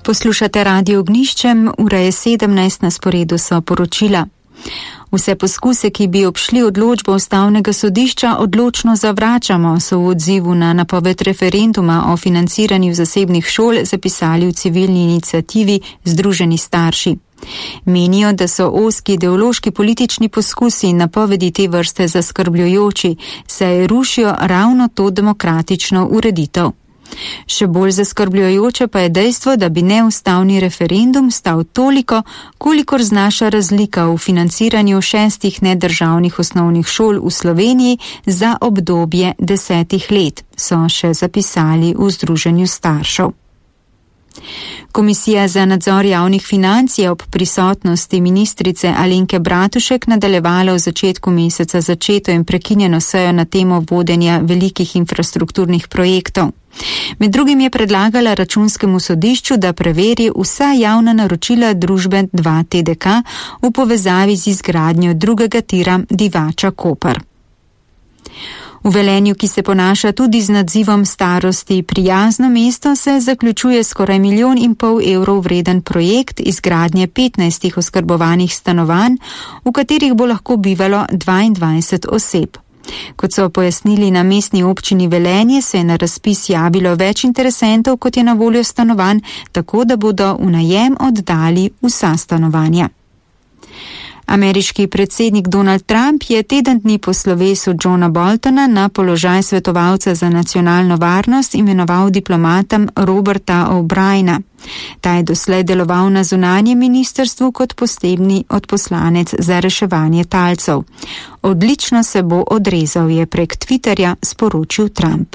Poslušate Radio Ognjišče, ura je 17, na sporedu so poročila. Vse poskuse, ki bi obšli odločbo Ustavnega sodišča, odločno zavračamo, so v odzivu na napoved referenduma o financiranju zasebnih šol zapisali v civilni iniciativi Združeni starši. Menijo, da so ozki ideološki politični poskusi in napovedi te vrste zaskrbljujoči, saj rušijo ravno to demokratično ureditev. Še bolj zaskrbljujoče pa je dejstvo, da bi neustavni referendum stal toliko, kolikor znaša razlika v financiranju 6 nedržavnih osnovnih šol v Sloveniji za obdobje 10 let, so še zapisali v Združenju staršev. Komisija za nadzor javnih financ je ob prisotnosti ministrice Alenke Bratušek nadaljevala v začetku meseca začeto in prekinjeno sejo na temo vodenja velikih infrastrukturnih projektov. Med drugim je predlagala Računskemu sodišču, da preveri vsa javna naročila družbe 2TDK v povezavi z izgradnjo drugega tira Divača-Koper. V Velenju, ki se ponaša tudi z nadzivom starosti prijazno mesto, se zaključuje skoraj 1,5 milijona evrov vreden projekt izgradnje 15 oskrbovanih stanovanj, v katerih bo lahko bivalo 22 oseb. Kot so pojasnili na mestni občini Velenje, se je na razpis javilo več interesentov, kot je na voljo stanovanj, tako da bodo v najem oddali vsa stanovanja. Ameriški predsednik Donald Trump je teden dni po slovesu Johna Boltona na položaj svetovalca za nacionalno varnost imenoval diplomatom Roberta O'Briena. Ta je doslej deloval na zunanjem ministrstvu kot posebni odposlanec za reševanje talcev. Odlično se bo odrezal, je prek Twitterja sporočil Trump.